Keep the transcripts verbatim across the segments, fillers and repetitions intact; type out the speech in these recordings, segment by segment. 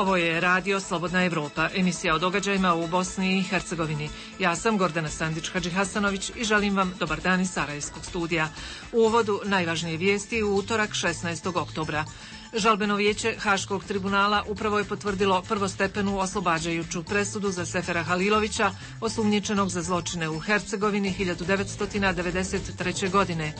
Ovo je Radio Slobodna Evropa, emisija o događajima u Bosni i Hercegovini. Ja sam Gordana Sandić-Hadžihasanović i želim vam dobar dan iz Sarajevskog studija. U uvodu najvažnije vijesti u utorak šesnaestog oktobra. Žalbeno vijeće Haškog tribunala upravo je potvrdilo prvostepenu oslobađajuću presudu za Sefera Halilovića, osumnjičenog za zločine u Hercegovini hiljadu devetsto devedeset treće. godine.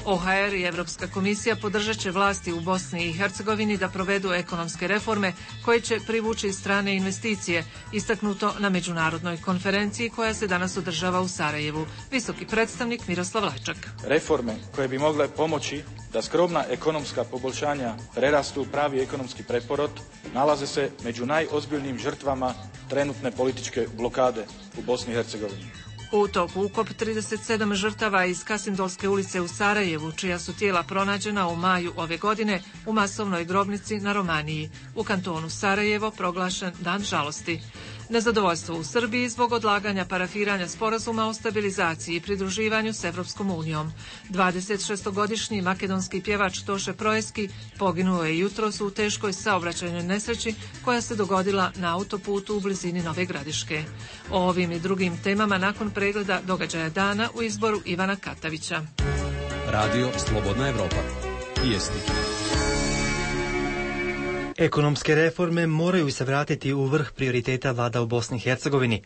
O H R i Evropska komisija podržat će vlasti u Bosni i Hercegovini da provedu ekonomske reforme koje će privući strane investicije, istaknuto na međunarodnoj konferenciji koja se danas održava u Sarajevu. Visoki predstavnik Miroslav Lajčak. Reforme koje bi mogle pomoći da skromna ekonomska poboljšanja prerastu u pravi ekonomski preporod nalaze se među najozbiljnijim žrtvama trenutne političke blokade u Bosni i Hercegovini. U toku ukop trideset sedam žrtava iz Kasindolske ulice u Sarajevu, čija su tijela pronađena u maju ove godine u masovnoj grobnici na Romaniji. U kantonu Sarajevo proglašen dan žalosti. Nezadovoljstvo u Srbiji zbog odlaganja parafiranja sporazuma o stabilizaciji i pridruživanju s Evropskom unijom. dvadesetšestogodišnji makedonski pjevač Toše Proeski poginuo je jutros u teškoj saobraćajnoj nesreći koja se dogodila na autoputu u blizini Nove Gradiške. O ovim i drugim temama nakon pregleda događaja dana u izboru Ivana Katavića. Radio Slobodna Evropa. Vijesti. Ekonomske reforme moraju se vratiti u vrh prioriteta vlada u Bosni i Hercegovini.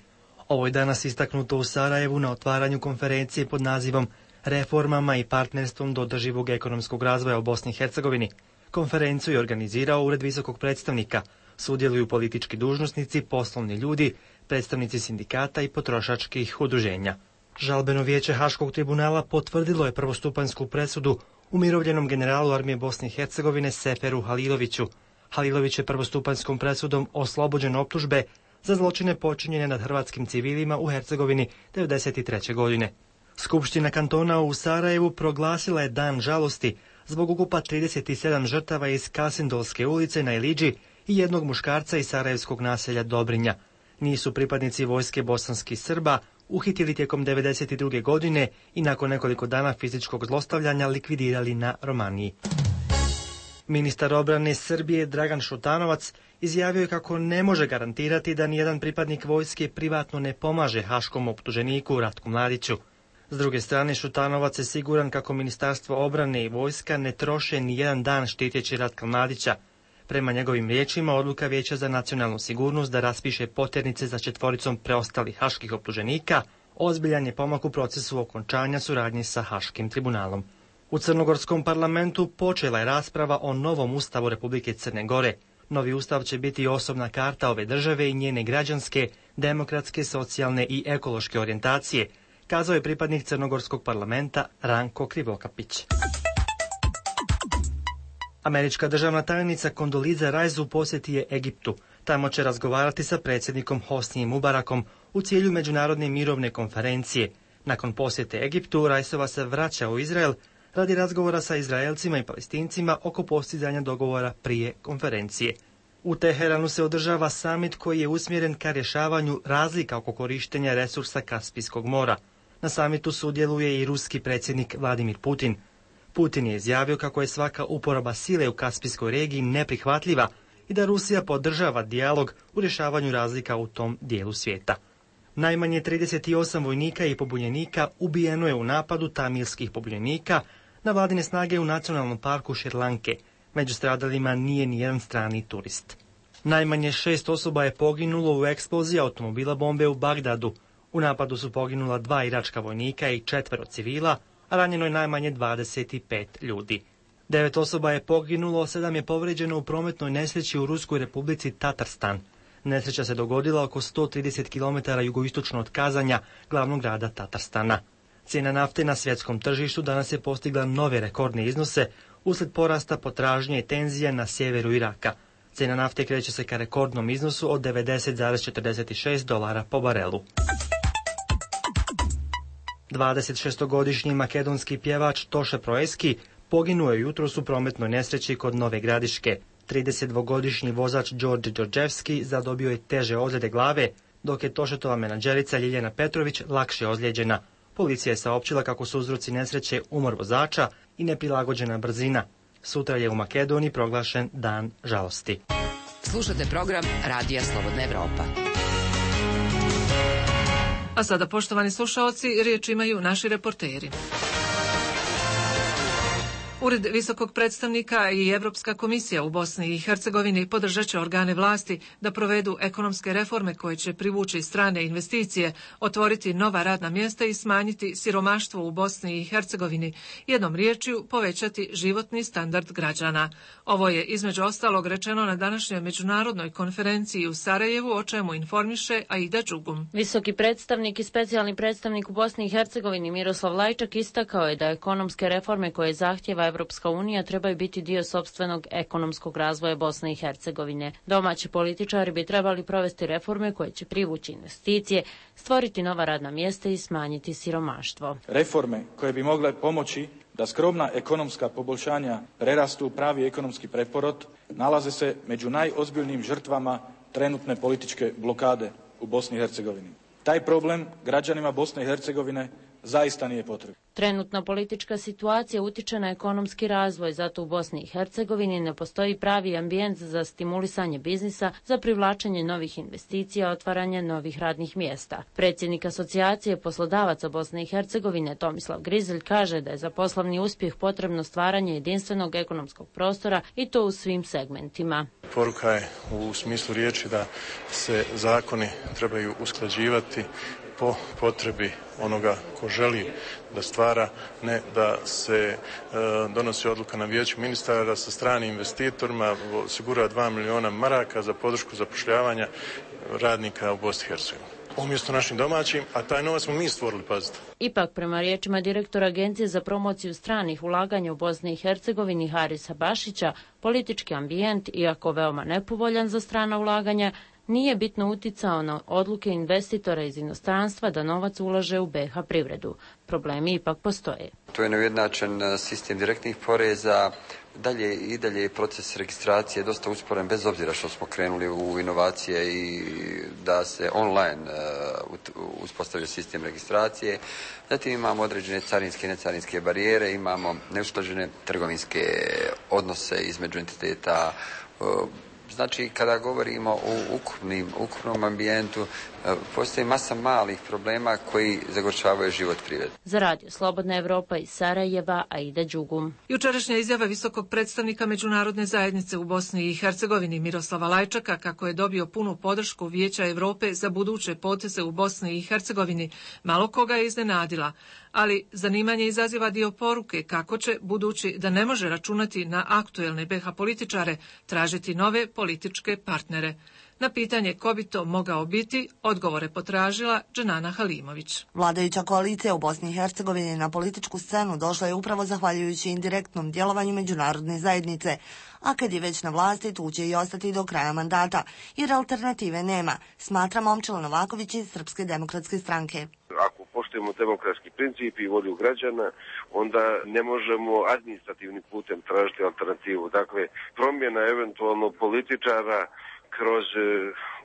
Ovo je danas istaknuto u Sarajevu na otvaranju konferencije pod nazivom Reformama i partnerstvom do održivog ekonomskog razvoja u Bosni i Hercegovini. Konferenciju je organizirao Ured visokog predstavnika. Sudjeluju politički dužnosnici, poslovni ljudi, predstavnici sindikata i potrošačkih udruženja. Žalbeno vijeće Haškog tribunala potvrdilo je prvostupanjsku presudu umirovljenom generalu armije Bosne i Hercegovine Seferu Haliloviću. Halilović je prvostupanjskom presudom oslobođen optužbe za zločine počinjene nad hrvatskim civilima u Hercegovini devedeset treće. godine. Skupština kantona u Sarajevu proglasila je dan žalosti zbog ukupa trideset sedam žrtava iz Kasindolske ulice na Iliđi i jednog muškarca iz sarajevskog naselja Dobrinja. Nisu pripadnici vojske bosanskih Srba uhitili tijekom devedeset druge. godine i nakon nekoliko dana fizičkog zlostavljanja likvidirali na Romaniji. Ministar obrane Srbije Dragan Šutanovac izjavio je kako ne može garantirati da nijedan pripadnik vojske privatno ne pomaže haškom optuženiku Ratku Mladiću. S druge strane, Šutanovac je siguran kako Ministarstvo obrane i vojska ne troše ni jedan dan štiteći Ratka Mladića. Prema njegovim riječima, odluka Vijeća za nacionalnu sigurnost da raspiše poternice za četvoricom preostalih haških optuženika ozbiljan je pomak u procesu okončanja suradnje sa Haškim tribunalom. U Crnogorskom parlamentu počela je rasprava o novom ustavu Republike Crne Gore. Novi ustav će biti osobna karta ove države i njene građanske, demokratske, socijalne i ekološke orijentacije, kazao je pripadnik Crnogorskog parlamenta Ranko Krivokapić. Američka državna tajnica Kondoliza Rice u posjeti je Egiptu. Tamo će razgovarati sa predsjednikom Hosnijem Mubarakom u cilju međunarodne mirovne konferencije. Nakon posjete Egiptu, Riceova se vraća u Izrael radi razgovora sa Izraelcima i Palestincima oko postizanja dogovora prije konferencije. U Teheranu se održava samit koji je usmjeren ka rješavanju razlika oko korištenja resursa Kaspijskog mora. Na samitu sudjeluje i ruski predsjednik Vladimir Putin. Putin je izjavio kako je svaka uporaba sile u Kaspijskoj regiji neprihvatljiva i da Rusija podržava dijalog u rješavanju razlika u tom dijelu svijeta. Najmanje trideset osam vojnika i pobunjenika ubijeno je u napadu tamilskih pobunjenika na vladine snage u nacionalnom parku Šrilanke. Među stradalima nije nijedan strani turist. Najmanje šest osoba je poginulo u eksploziji automobila bombe u Bagdadu. U napadu su poginula dva iračka vojnika i četvero civila, a ranjeno je najmanje dvadeset pet ljudi. Devet osoba je poginulo, sedam je povrijeđeno u prometnoj nesreći u Ruskoj republici Tatarstan. Nesreća se dogodila oko sto trideset kilometara jugoistočno od Kazanja, glavnog grada Tatarstana. Cijena nafte na svjetskom tržištu danas je postigla nove rekordne iznose uslijed porasta potražnje i tenzija na sjeveru Iraka. Cijena nafte kreće se ka rekordnom iznosu od devedeset zarez četrdeset šest dolara po barelu. dvadesetšestogodišnji makedonski pjevač Toše Proeski poginuo je jutros u prometnoj nesreći kod Nove Gradiške. tridesetdvogodišnji vozač Đorđe Đorđevski zadobio je teže ozljede glave, dok je Tošetova menadžerica Ljiljana Petrović lakše ozlijeđena. Policija je saopćila kako su uzroci nesreće umor vozača i neprilagođena brzina. Sutra je u Makedoniji proglašen dan žalosti. Slušate program Radija Slobodna Evropa. A sada, poštovani slušaoci, riječ imaju naši reporteri. Ured visokog predstavnika i Evropska komisija u Bosni i Hercegovini podržat će organe vlasti da provedu ekonomske reforme koje će privući strane investicije, otvoriti nova radna mjesta i smanjiti siromaštvo u Bosni i Hercegovini, jednom riječju povećati životni standard građana. Ovo je između ostalog rečeno na današnjoj međunarodnoj konferenciji u Sarajevu, o čemu informiše Aida Đugum. Visoki predstavnik i specijalni predstavnik u Bosni i Hercegovini Miroslav Lajčak istakao je da ekonomske reforme koje zahtjeva Evropska unija trebaju biti dio sopstvenog ekonomskog razvoja Bosne i Hercegovine. Domaći političari bi trebali provesti reforme koje će privući investicije, stvoriti nova radna mjesta i smanjiti siromaštvo. Reforme koje bi mogle pomoći da skromna ekonomska poboljšanja prerastu u pravi ekonomski preporod nalaze se među najozbiljnijim žrtvama trenutne političke blokade u Bosni i Hercegovini. Taj problem građanima Bosne i Hercegovine zaista nije potrebno. Trenutna politička situacija utiče na ekonomski razvoj, zato u Bosni i Hercegovini ne postoji pravi ambijent za stimulisanje biznisa, za privlačenje novih investicija, otvaranje novih radnih mjesta. Predsjednik Asocijacije poslodavaca Bosne i Hercegovine Tomislav Grizelj kaže da je za poslovni uspjeh potrebno stvaranje jedinstvenog ekonomskog prostora i to u svim segmentima. Poruka je u smislu riječi da se zakoni trebaju usklađivati po potrebi onoga ko želi da stvara, ne da se e, donosi odluka na vijeću ministara da sa stranim investitorima osigura dva miliona maraka za podršku zapošljavanja radnika u Bosni i Hercegovini. Umjesto našim domaćim, a taj novac smo mi stvorili, pazite. Ipak, prema riječima direktora Agencije za promociju stranih ulaganja u Bosni i Hercegovini Harisa Bašića, politički ambijent, iako veoma nepovoljan za strana ulaganja, nije bitno uticao na odluke investitora iz inostranstva da novac ulaže u B iH privredu. Problemi ipak postoje. To je neujednačen sistem direktnih poreza. Dalje i dalje je proces registracije dosta usporen, bez obzira što smo krenuli u inovacije i da se online uh, uspostavlja sistem registracije. Zatim imamo određene carinske i necarinske barijere, imamo neusklađene trgovinske odnose između entiteta. Uh, Znači, kada govorimo o ukupnim, ukupnom ambijentu, postoji masa malih problema koji zagorčavaju život privrede. Za Radio Slobodna Evropa iz Sarajeva, Aida Đugum. Jučerašnja izjava visokog predstavnika međunarodne zajednice u Bosni i Hercegovini Miroslava Lajčaka kako je dobio punu podršku Vijeća Europe za buduće poteze u Bosni i Hercegovini malo koga je iznenadila, ali zanimanje izaziva dio poruke kako će, budući da ne može računati na aktuelne B iH političare, tražiti nove političke partnere. Na pitanje ko bi to mogao biti, odgovore potražila Dženana Halimović. Vladajuća koalicija u Bosni i Hercegovini na političku scenu došla je upravo zahvaljujući indirektnom djelovanju međunarodne zajednice, a kad je već na vlasti tu će i ostati do kraja mandata, jer alternative nema, smatra Momčilo Novaković iz Srpske demokratske stranke. Ako poštujemo demokratski princip i volju građana, onda ne možemo administrativnim putem tražiti alternativu. Dakle, promjena eventualno političara kroz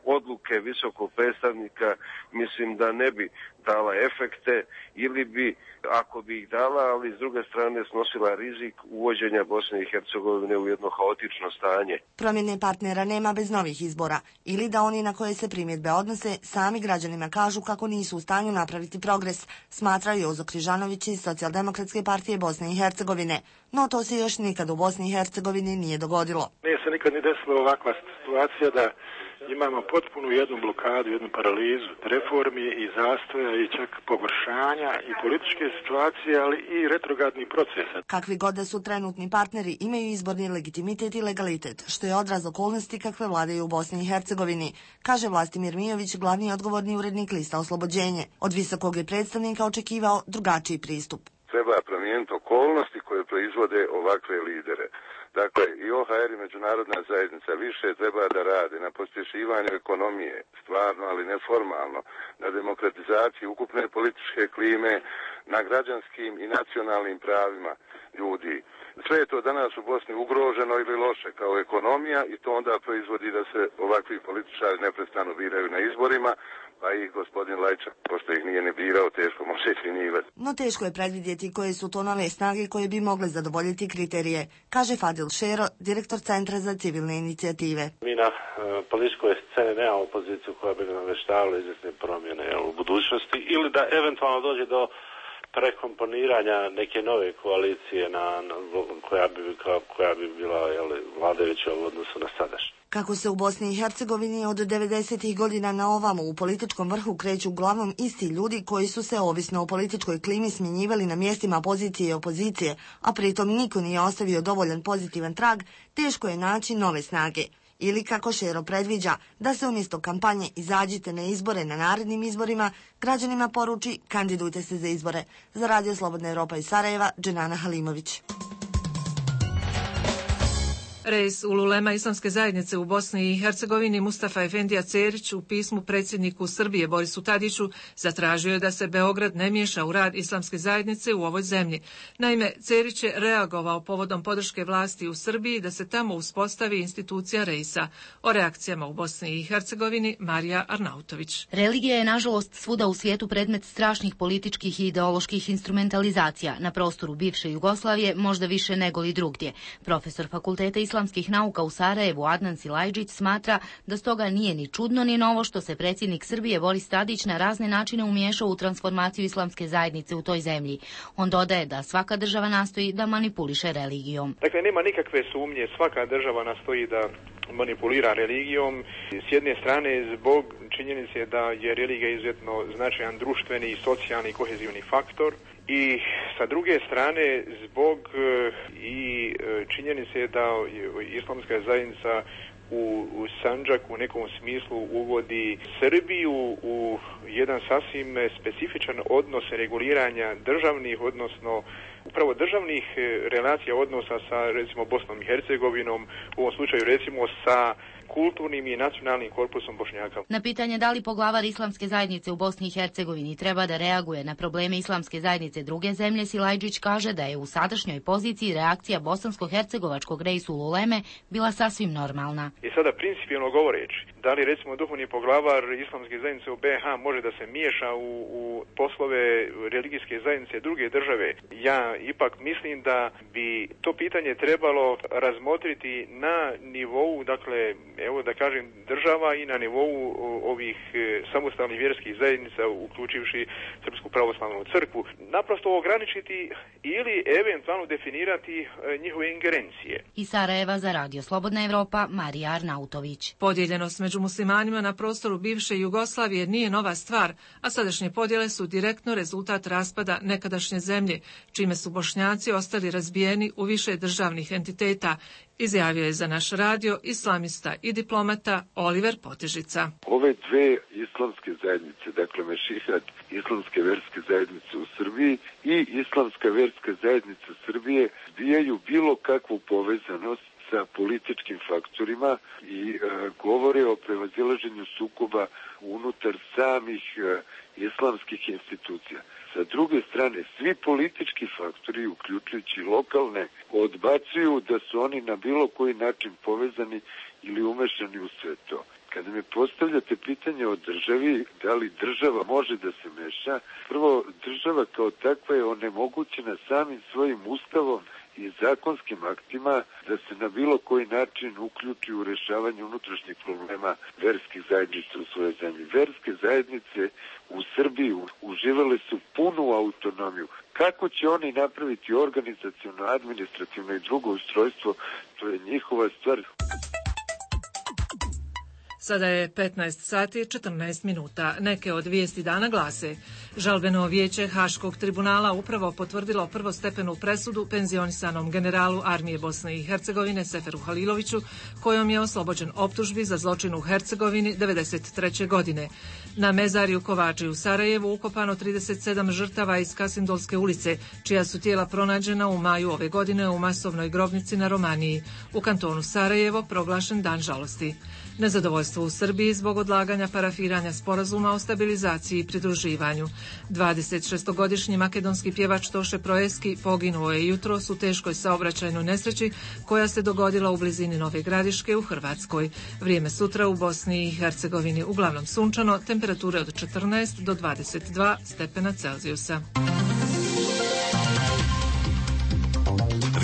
odluke visokog predstavnika mislim da ne bi dala efekte ili bi, ako bi ih dala, ali s druge strane snosila rizik uvođenja Bosne i Hercegovine u jedno haotično stanje. Promjene partnera nema bez novih izbora ili da oni na koje se primjedbe odnose sami građanima kažu kako nisu u stanju napraviti progres, smatraju Jozo Križanović iz Socijaldemokratske partije Bosne i Hercegovine. No to se još nikad u Bosni i Hercegovini nije dogodilo. Nije se nikad ni desila ovakva situacija da imamo potpunu jednu blokadu, jednu paralizu reformi i zastoja i čak pogoršanja i političke situacije, ali i retrogradnih procesa. Kakvi god da su trenutni partneri, imaju izborni legitimitet i legalitet, što je odraz okolnosti kakve vladaju u Bosni i Hercegovini, kaže Vlastimir Mijović, glavni odgovorni urednik lista Oslobođenje. Od visokog je predstavnika očekivao drugačiji pristup. Treba promijeniti okolnosti koje proizvode ovakve lidere. Dakle, i O H R i međunarodna zajednica više treba da rade na pospješivanju ekonomije, stvarno, ali neformalno, na demokratizaciji ukupne političke klime, na građanskim i nacionalnim pravima ljudi. Sve je to danas u Bosni ugroženo ili loše kao ekonomija i to onda proizvodi da se ovakvi političari neprestano biraju na izborima, pa i gospodin Lajčak, pošto ih nije ne birao, teško može smjenjivati. no teško je predvidjeti koje su to nove snage koje bi mogle zadovoljiti kriterije, kaže Fadil Šero, direktor Centra za civilne inicijative. Mi na uh, političkoj sceni nemamo poziciju koja bi nam veštavala izvjesne promjene jel, u budućnosti ili da eventualno dođe do prekomponiranja neke nove koalicije na, na, koja, bi, koja bi bila jel, vladajuća u odnosu na sadašnje. Kako se u Bosni i Hercegovini od devedesetih godina na ovamo u političkom vrhu kreću uglavnom isti ljudi koji su se ovisno o političkoj klimi smjenjivali na mjestima pozicije i opozicije, a pritom niko nije ostavio dovoljan pozitivan trag, teško je naći nove snage. Ili, kako Šero predviđa, da se umjesto kampanje izađite na izbore na narednim izborima, građanima poruči kandidujte se za izbore. Za Radio Slobodna Evropa iz Sarajeva, Dženana Halimović. Reis ululema Islamske zajednice u Bosni i Hercegovini Mustafa Efendija Cerić u pismu predsjedniku Srbije Borisu Tadiću zatražio je da se Beograd ne miješa u rad Islamske zajednice u ovoj zemlji. Naime, Cerić je reagovao povodom podrške vlasti u Srbiji da se tamo uspostavi institucija Reisa. O reakcijama u Bosni i Hercegovini Marija Arnautović. Religija je nažalost svuda u svijetu predmet strašnih političkih i ideoloških instrumentalizacija. Na prostoru bivše Jugoslavije možda više nego li drugdje. Profesor fakulteta islamskih nauka u Sarajevu Adnan Silajđić smatra da stoga nije ni čudno ni novo što se predsjednik Srbije Boris Tadić na razne načine umiješao u transformaciju islamske zajednice u toj zemlji. On dodaje da svaka država nastoji da manipuliše religijom. Dakle, nema nikakve sumnje, svaka država nastoji da manipulira religijom. S jedne strane zbog činjenice da je religija izuzetno značajan društveni i socijalni i kohezivni faktor. I sa druge strane zbog i činjenice da islamska zajednica u, u Sandžaku u nekom smislu uvodi Srbiju u jedan sasvim specifičan odnos reguliranja državnih, odnosno upravo državnih relacija odnosa sa recimo Bosnom i Hercegovinom, u ovom slučaju recimo sa kulturnim i nacionalnim korpusom Bošnjaka. Na pitanje da li poglavar islamske zajednice u Bosni i Hercegovini treba da reaguje na probleme islamske zajednice druge zemlje, Silajđić kaže da je u sadašnjoj poziciji reakcija bosansko-hercegovačkog reisu ululeme bila sasvim normalna. I sada principijelno govoreći, da li recimo duhovni poglavar islamske zajednice u B H može da se miješa u, u poslove religijske zajednice druge države, ja ipak mislim da bi to pitanje trebalo razmotriti na nivou, dakle, evo da kažem, država i na nivou ovih samostalnih vjerskih zajednica, uključivši Srpsku pravoslavnu crkvu, naprosto ograničiti ili eventualno definirati njihove ingerencije. Iz Sarajeva za Radio Slobodna Evropa, Marija Arnautović. Podijeljenost među muslimanima na prostoru bivše Jugoslavije nije nova stvar, a sadašnje podjele su direktno rezultat raspada nekadašnje zemlje, čime su Bošnjaci ostali razbijeni u više državnih entiteta, izjavio je za naš radio islamista i diplomata Oliver Potežica. Ove dve islamske zajednice, dakle Mešihat, islamske verske zajednice u Srbiji i islamska verska zajednica Srbije, zbijaju bilo kakvu povezanost sa političkim faktorima i e, govore o prevazilaženju sukoba unutar samih e, islamskih institucija. Sa druge strane, svi politički faktori, uključujući lokalne, odbacuju da su oni na bilo koji način povezani ili umešani u sve to. Kada mi postavljate pitanje o državi, da li država može da se meša, prvo, država kao takva je onemogućena samim svojim ustavom i zakonskim aktima da se na bilo koji način uključi u rješavanje unutrašnjih problema verskih zajednica u svojoj zemlji. Verske zajednice u Srbiji uživale su punu autonomiju. Kako će oni napraviti organizaciono, administrativno i drugo ustrojstvo, to je njihova stvar. Sada je petnaest sati i četrnaest minuta. Neke od vijesti dana glase: Žalbeno vijeće Haškog tribunala upravo potvrdilo prvostepenu presudu penzionisanom generalu armije Bosne i Hercegovine Seferu Haliloviću, kojom je oslobođen optužbi za zločin u Hercegovini devedeset treće godine. Na mezarju Kovači u Sarajevu ukopano trideset sedam žrtava iz Kasindolske ulice, čija su tijela pronađena u maju ove godine u masovnoj grobnici na Romaniji. U kantonu Sarajevo proglašen dan žalosti. Nezadovoljstvo u Srbiji zbog odlaganja parafiranja sporazuma o stabilizaciji i pridruživanju. dvadesetšestogodišnji makedonski pjevač Toše Proeski poginuo je jutros u teškoj saobraćajnoj nesreći koja se dogodila u blizini Nove Gradiške u Hrvatskoj. Vrijeme sutra u Bosni i Hercegovini uglavnom sunčano, temperature od četrnaest do dvadeset dva stepena Celzijusa.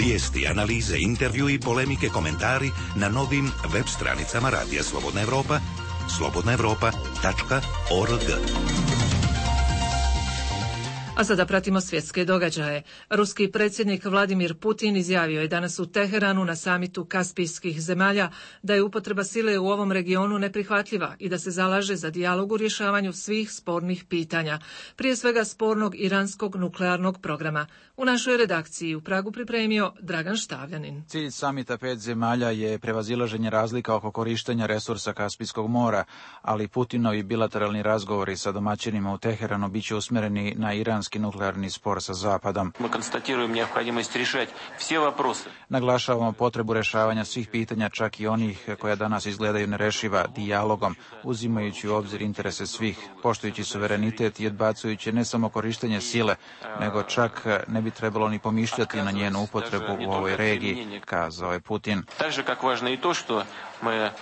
Vijesti, analize, intervju i polemike, komentari na novim web stranicama Radija Slobodna Evropa, slobodna evropa tačka org. A sada pratimo svjetske događaje. Ruski predsjednik Vladimir Putin izjavio je danas u Teheranu na samitu kaspijskih zemalja da je upotreba sile u ovom regionu neprihvatljiva i da se zalaže za dijalog u rješavanju svih spornih pitanja, prije svega spornog iranskog nuklearnog programa. U našoj redakciji u Pragu pripremio Dragan Štavljanin. Cilj samita pet zemalja je prevazilaženje razlika oko korištenja resursa Kaspijskog mora, ali Putinovi bilateralni razgovori sa domaćinima u Teheranu biće usmjereni na iranski nuklearni spor sa Zapadom. Naglašavamo potrebu rješavanja svih pitanja, čak i onih koja danas izgledaju nerešiva, dijalogom, uzimajući u obzir interese svih, poštujući suverenitet i odbacujući ne samo korištenje sile, nego čak ne bi trebalo ni pomišljati na njenu upotrebu u ovoj regiji, kazao je Putin.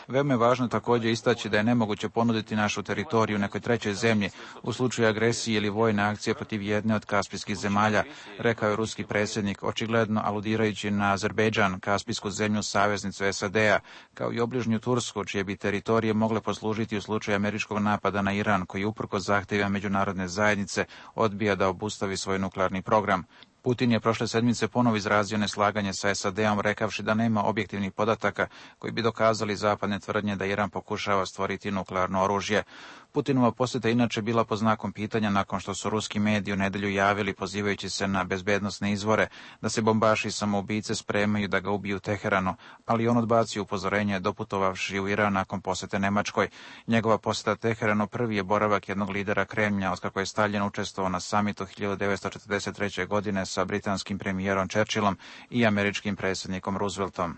Veoma je važno također istaći da je nemoguće ponuditi našu teritoriju nekoj trećoj zemlji u slučaju agresije ili vojne akcije protiv jedne od kaspijskih zemalja, rekao je ruski predsjednik, očigledno aludirajući na Azerbejdžan, kaspijsku zemlju saveznicu S A D-a, kao i obližnju Tursku, čije bi teritorije mogle poslužiti u slučaju američkog napada na Iran, koji uprkos zahtjevima međunarodne zajednice odbija da obustavi svoj nuklearni program. Putin je prošle sedmice ponovo izrazio neslaganje sa S A D-om, rekavši da nema objektivnih podataka koji bi dokazali zapadne tvrdnje da Iran pokušava stvoriti nuklearno oružje. Putinova posjeta inače bila pod znakom pitanja nakon što su ruski mediji u nedjelju javili, pozivajući se na bezbednosne izvore, da se bombaši i samoubice spremaju da ga ubiju u Teheranu, ali on odbacio upozorenje doputovavši u Iran nakon posjete Nemačkoj. Njegova posjeta Teheranu prvi je boravak jednog lidera Kremlja otkako je Stalin učestvovao na samitu hiljadu devetsto četrdeset treće. godine sa britanskim premijerom Churchillom i američkim predsjednikom Rooseveltom.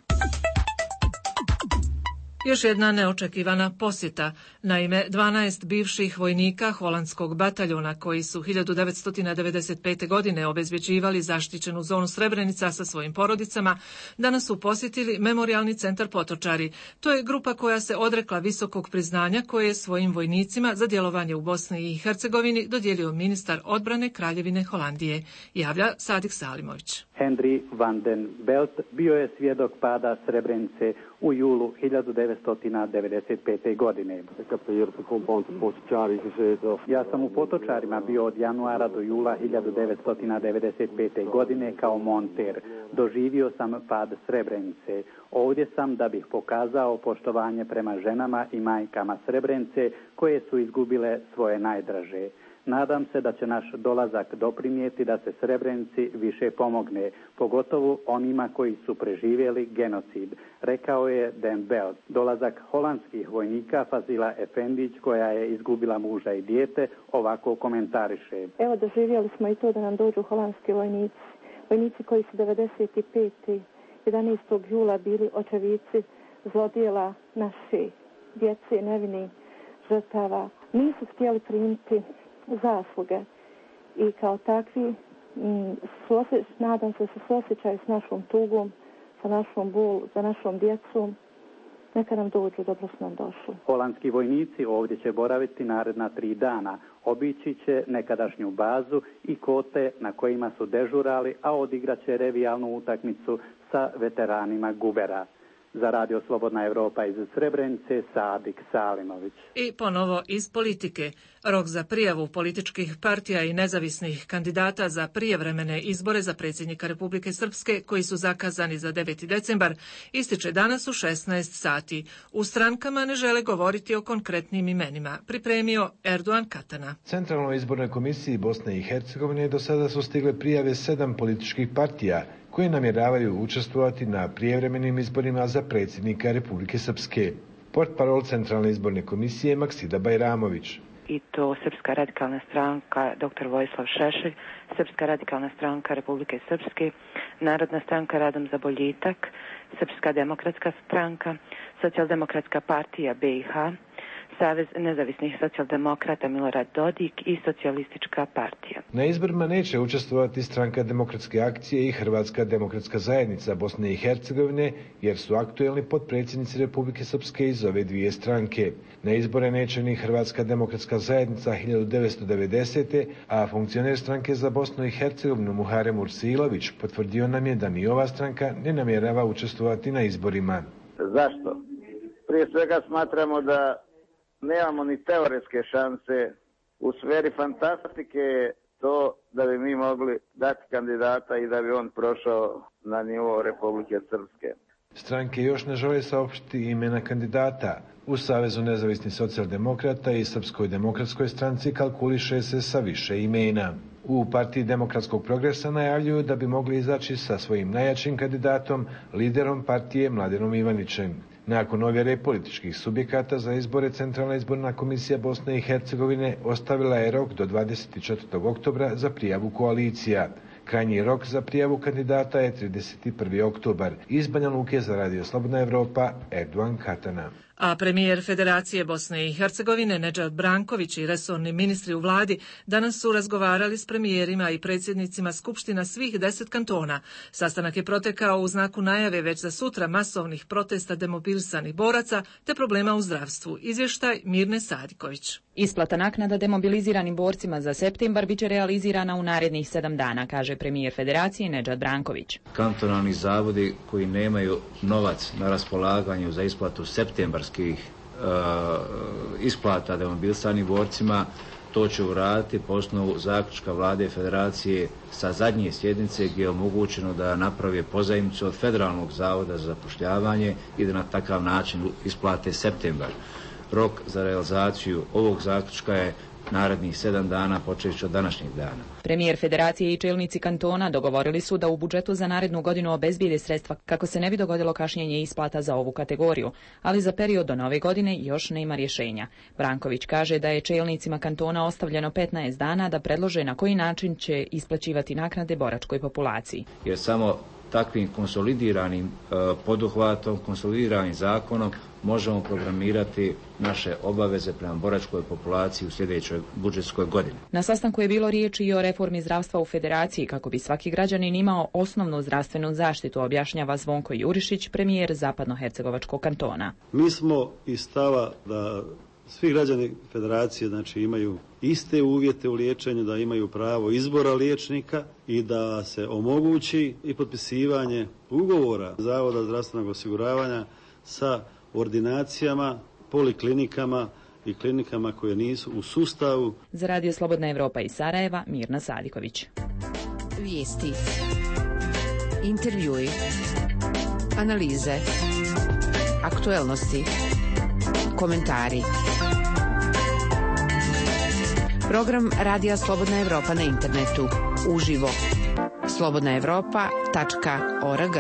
Još jedna neočekivana posjeta. Naime, dvanaest bivših vojnika holandskog bataljona koji su hiljadu devetsto devedeset pete. godine obezbjeđivali zaštićenu zonu Srebrenica sa svojim porodicama, danas su posjetili Memorijalni centar Potočari. To je grupa koja se odrekla visokog priznanja koje je svojim vojnicima za djelovanje u Bosni i Hercegovini dodijelio ministar odbrane Kraljevine Holandije, javlja Sadik Salimović. Henry van den Belt bio je svjedok pada Srebrenice u julu hiljadu devetsto devedeset pete. godine. Ja sam u Potočarima bio od januara do jula hiljadu devetsto devedeset pete. godine kao monter. Doživio sam pad Srebrenice. Ovdje sam da bih pokazao poštovanje prema ženama i majkama Srebrenice koje su izgubile svoje najdraže. Nadam se da će naš dolazak doprinijeti da se Srebrenici više pomogne, pogotovo onima koji su preživjeli genocid, rekao je Den Belt. Dolazak holandskih vojnika Fazila Efendić, koja je izgubila muža i dijete, ovako komentariše. Evo, doživjeli smo i to da nam dođu holandski vojnici. Vojnici koji su devedeset pete. jedanaestog jula bili očevici zlodjela naše djece, nevini žrtava. Nisu htjeli primiti zasluge i kao takvi m, suosjeć, nadam se da se suosjećaju s našom tugom, sa našom bol, za našom djecom. Neka nam dođu, dobro su nam došli. Holandski vojnici ovdje će boraviti naredna tri dana. Obići će nekadašnju bazu i kote na kojima su dežurali, a odigrat će revijalnu utakmicu sa veteranima Gubera. Za Radio Slobodna Evropa iz Srebrenice, Sadik Salimović. I ponovo iz politike. Rok za prijavu političkih partija i nezavisnih kandidata za prijevremene izbore za predsjednika Republike Srpske, koji su zakazani za deveti decembar, ističe danas u šesnaest sati. U strankama ne žele govoriti o konkretnim imenima, pripremio Erdogan Katana. Centralnoj izbornoj komisiji Bosne i Hercegovine do sada su stigle prijave sedam političkih partija koje namjeravaju učestvovati na prijevremenim izborima za predsjednika Republike Srpske. Portparol Centralne izborne komisije Maksida Bajramović. I to Srpska radikalna stranka doktor Vojislav Šešelj, Srpska radikalna stranka Republike Srpske, Narodna stranka Radom za boljitak, Srpska demokratska stranka, Socijaldemokratska partija B i H, Savez nezavisnih socijaldemokrata Milorad Dodik i Socijalistička partija. Na izborima neće učestvovati Stranka demokratske akcije i Hrvatska demokratska zajednica Bosne i Hercegovine, jer su aktuelni potpredsjednici Republike Srpske iz ove dvije stranke. Na izbore neće ni Hrvatska demokratska zajednica hiljadu devetsto devedesete. a funkcioner stranke za Bosnu i Hercegovinu Muharem Ursilović potvrdio nam je da ni ova stranka ne namjerava učestvovati na izborima. Zašto? Prije svega smatramo da nemamo ni teoretske šanse. U sferi fantastike je to da bi mi mogli dati kandidata i da bi on prošao na nivo Republike Srpske. Stranke još ne žele saopštiti imena kandidata. U Savezu nezavisnih socijaldemokrata i Srpskoj demokratskoj stranci kalkuliše se sa više imena. U Partiji demokratskog progresa najavljuju da bi mogli izaći sa svojim najjačim kandidatom, liderom partije Mladenom Ivanićem. Nakon ovjere političkih subjekata za izbore, Centralna izborna komisija Bosne i Hercegovine ostavila je rok do dvadeset četvrtog oktobra za prijavu koalicija. Krajnji rok za prijavu kandidata je trideset prvi oktobar. Iz Banja Luke za Radio Slobodna Evropa, Erdogan Katana. A premijer Federacije Bosne i Hercegovine Nedžad Branković i resorni ministri u vladi danas su razgovarali s premijerima i predsjednicima skupština svih deset kantona. Sastanak je protekao u znaku najave već za sutra masovnih protesta demobilisanih boraca te problema u zdravstvu. Izvještaj Mirne Sadiković. Isplata naknada demobiliziranim borcima za septembar biće realizirana u narednih sedam dana, kaže premijer Federacije Nedžad Branković. Kantonalni zavodi koji nemaju novac na raspolaganju za isplatu septembarskih uh, isplata demobilisanim borcima, to će uraditi po osnovu zaključka vlade Federacije sa zadnje sjednice gdje je omogućeno da naprave pozajmicu od Federalnog zavoda za zapošljavanje i da na takav način isplate septembar. Rok za realizaciju ovog zaključka je narednih sedam dana počeći od današnjeg dana. Premijer Federacije i čelnici kantona dogovorili su da u budžetu za narednu godinu obezbijede sredstva kako se ne bi dogodilo kašnjenje isplata za ovu kategoriju, ali za period do nove godine još nema rješenja. Branković kaže da je čelnicima kantona ostavljeno petnaest dana da predlože na koji način će isplaćivati naknade boračkoj populaciji. Jer samo takvim konsolidiranim uh, poduhvatom, konsolidiranim zakonom možemo programirati naše obaveze prema boračkoj populaciji u sljedećoj budžetskoj godini. Na sastanku je bilo riječi i o reformi zdravstva u Federaciji kako bi svaki građanin imao osnovnu zdravstvenu zaštitu, objašnjava Zvonko Jurišić, premijer Zapadnohercegovačkog kantona. Mi smo iz stava da svi građani Federacije znači imaju iste uvjete u liječenju, da imaju pravo izbora liječnika i da se omogući i potpisivanje ugovora Zavoda zdravstvenog osiguravanja sa ordinacijama, poliklinikama i klinikama koje nisu u sustavu. Za Radio Slobodna Evropa iz Sarajeva, Mirna Sadiković. Vijesti, intervjui, analize, aktuelnosti, komentari. Program Radija Slobodna Evropa na internetu. Uživo. slobodna evropa tačka org.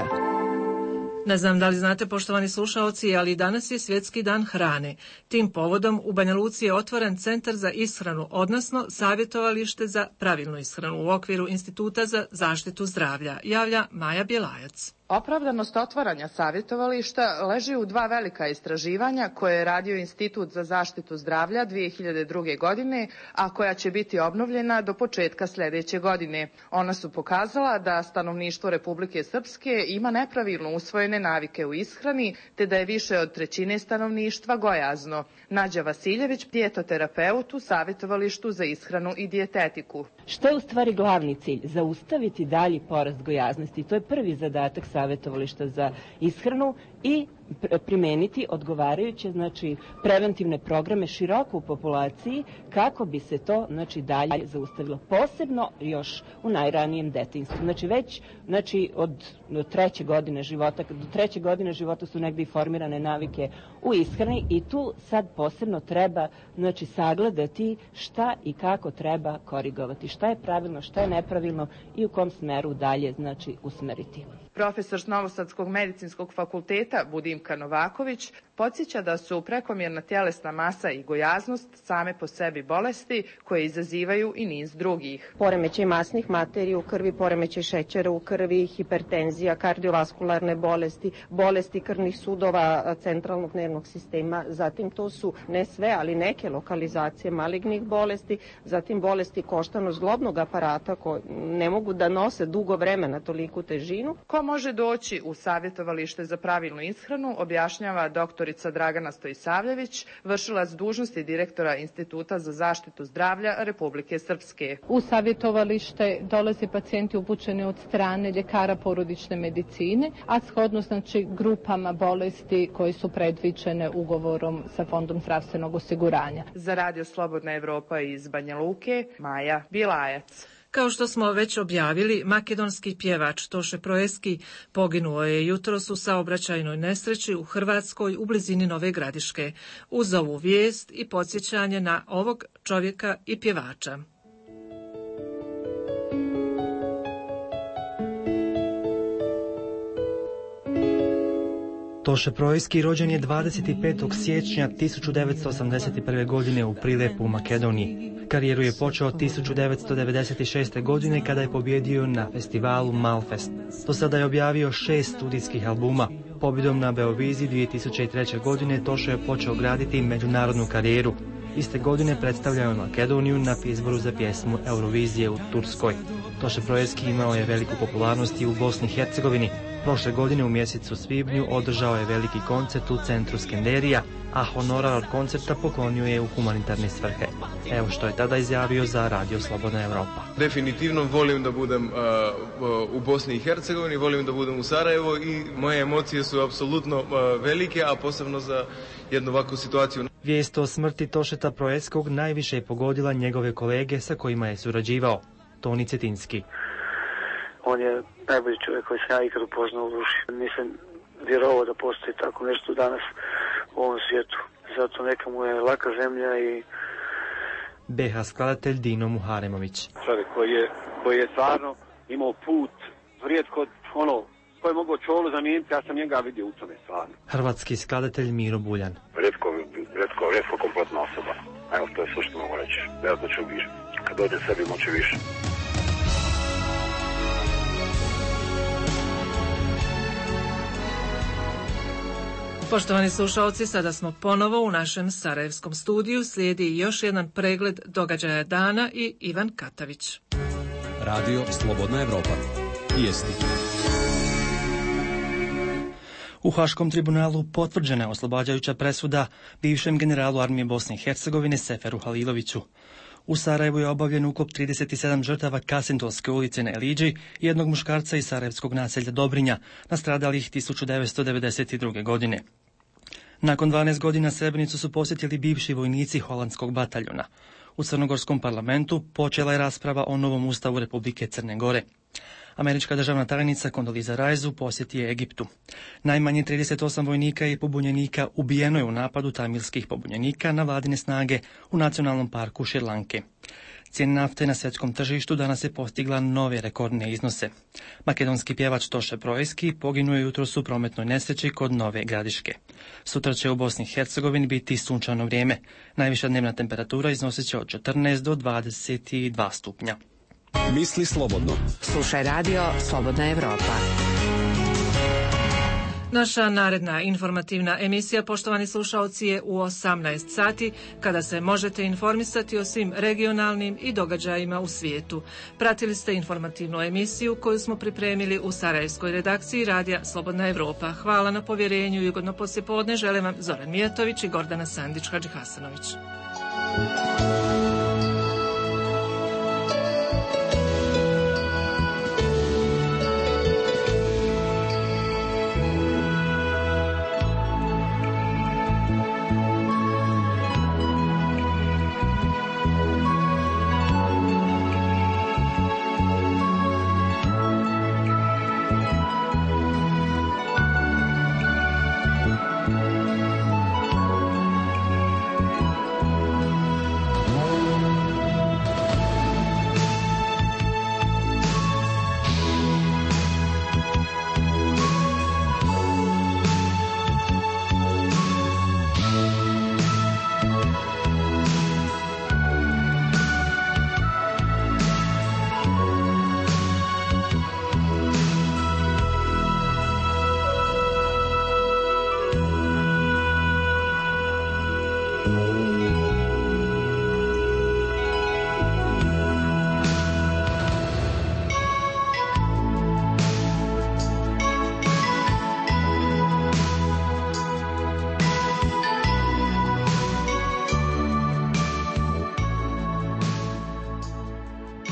Ne znam da li znate, poštovani slušaoci, ali danas je Svjetski dan hrane. Tim povodom u Banja Luci je otvoren Centar za ishranu, odnosno savjetovalište za pravilnu ishranu u okviru Instituta za zaštitu zdravlja, javlja Maja Bjelajac. Opravdanost otvaranja savjetovališta leži u dva velika istraživanja koje je radio Institut za zaštitu zdravlja dvije hiljade druge. godine, a koja će biti obnovljena do početka sljedeće godine. Ona su pokazala da stanovništvo Republike Srpske ima nepravilno usvojene navike u ishrani, te da je više od trećine stanovništva gojazno. Nađa Vasiljević, dijetoterapeut u savjetovalištu za ishranu i dijetetiku. Što je u stvari glavni cilj? Zaustaviti dalji porast gojaznosti. To je prvi zadatak savjetovališta za ishranu i primeniti odgovarajuće, znači, preventivne programe široko u populaciji kako bi se to, znači, dalje zaustavilo. Posebno još u najranijem detinjstvu. Znači, već, znači, od treće godine života, do treće godine života su negdje formirane navike u ishrani i tu sad posebno treba, znači, sagledati šta i kako treba korigovati. Šta je pravilno, šta je nepravilno i u kom smeru dalje, znači, usmeriti. Profesor s Novosadskog medicinskog fakulteta Budim Dimka Novaković, podsjeća da su prekomjerna tjelesna masa i gojaznost same po sebi bolesti koje izazivaju i niz drugih. Poremećaj masnih materija u krvi, poremećaj šećera u krvi, hipertenzija, kardiovaskularne bolesti, bolesti krvnih sudova centralnog nervnog sistema, zatim to su ne sve, ali neke lokalizacije malignih bolesti, zatim bolesti koštano-zglobnog aparata koje ne mogu da nose dugo vremena toliku težinu. Ko može doći u savjetovalište za pravilnu ishranu, objašnjava doktorica Dragana Stojisavljević, vršilac dužnosti direktora Instituta za zaštitu zdravlja Republike Srpske. U savjetovalište dolaze pacijenti upućeni od strane ljekara porodične medicine, a shodno znači grupama bolesti koji su predviđene ugovorom sa Fondom zdravstvenog osiguranja. Za Radio Slobodna Evropa iz Banja Luke, Maja Bilajac. Kao što smo već objavili, makedonski pjevač Toše Proeski poginuo je jutros u saobraćajnoj nesreći u Hrvatskoj u blizini Nove Gradiške. Uz ovu vijest i podsjećanje na ovog čovjeka i pjevača. Toše Proeski rođen je dvadeset petog siječnja tisuću devetsto osamdeset prve. godine u Prilepu u Makedoniji. Karijeru je počeo tisuću devetsto devedeset šeste. godine kada je pobjedio na festivalu Malfest. Do sada je objavio šest studijskih albuma. Pobjedom na Beoviziji dvije tisuće treće. godine Toše je počeo graditi međunarodnu karijeru. Iste godine predstavljao je Makedoniju na izboru za pjesmu Eurovizije u Turskoj. Toše Proeski imao je veliku popularnost i u Bosni i Hercegovini. Prošle godine u mjesecu svibnju održao je veliki koncert u centru Skenderija, a honorar od koncerta poklonio je u humanitarne svrhe. Evo što je tada izjavio za Radio Slobodna Evropa. Definitivno volim da budem uh, u Bosni i Hercegovini, volim da budem u Sarajevo i moje emocije su apsolutno uh, velike, a posebno za jednu ovakvu situaciju. Vijest o smrti Tošeta Proeskog najviše je pogodila njegove kolege sa kojima je surađivao. Toni Cetinski. On je najbolji čovjek koji sam ja ikad upoznao u duši. Nisam vjerovao da postoji tako nešto danas u ovom svijetu. Zato neka mu je laka zemlja i... be ha skladatelj Dino Muharemović. Čovjek koji je, koji je stvarno imao put vrijetko, ono, koji je mogao čolu zamijeniti, ja sam njega vidio u tome stvarno. Hrvatski skladatelj Miro Buljan. Rijetko, rijetko, rijetko kompletna osoba. Evo, to je sve što mogu reći. Vjerojatno ću više. Kad dođe sebi moći više. Poštovani slušalci, sada smo ponovo u našem sarajevskom studiju. Slijedi još jedan pregled događaja dana i Ivan Katavić. Radio Slobodna Evropa. Vijesti. U Haškom tribunalu potvrđena je oslobađajuća presuda bivšem generalu armije Bosne i Hercegovine Seferu Haliloviću. U Sarajevu je obavljen ukop trideset sedam žrtava Kasintolske ulice na Eliđi i jednog muškarca iz sarajevskog naselja Dobrinja, nastradalih tisuću devetsto devedeset druge. godine. Nakon dvanaest godina Srebrenicu su posjetili bivši vojnici holandskog bataljona. U crnogorskom parlamentu počela je rasprava o novom ustavu Republike Crne Gore. Američka državna tajnica Kondoliza Rice posjeti je Egiptu. Najmanje trideset osam vojnika i pobunjenika ubijeno je u napadu tamilskih pobunjenika na vladine snage u nacionalnom parku Šrilanke. Cijena nafte na svjetskom tržištu danas je postigla nove rekordne iznose. Makedonski pjevač Toše Proeski poginuo je jutros u prometnoj nesreći kod Nove Gradiške. Sutra će u Bosni i Hercegovini biti sunčano vrijeme. Najviša dnevna temperatura iznosit će od četrnaest do dvadeset dva stupnja. Misli slobodno. Slušaj Radio Slobodna Evropa. Naša naredna informativna emisija, poštovani slušaoci, je u osamnaest sati, kada se možete informisati o svim regionalnim i događajima u svijetu. Pratili ste informativnu emisiju koju smo pripremili u sarajevskoj redakciji Radija Slobodna Evropa. Hvala na povjerenju i ugodno poslijepodne žele vam Zoran Mijatović i Gordana Sandić Hadžihasanović.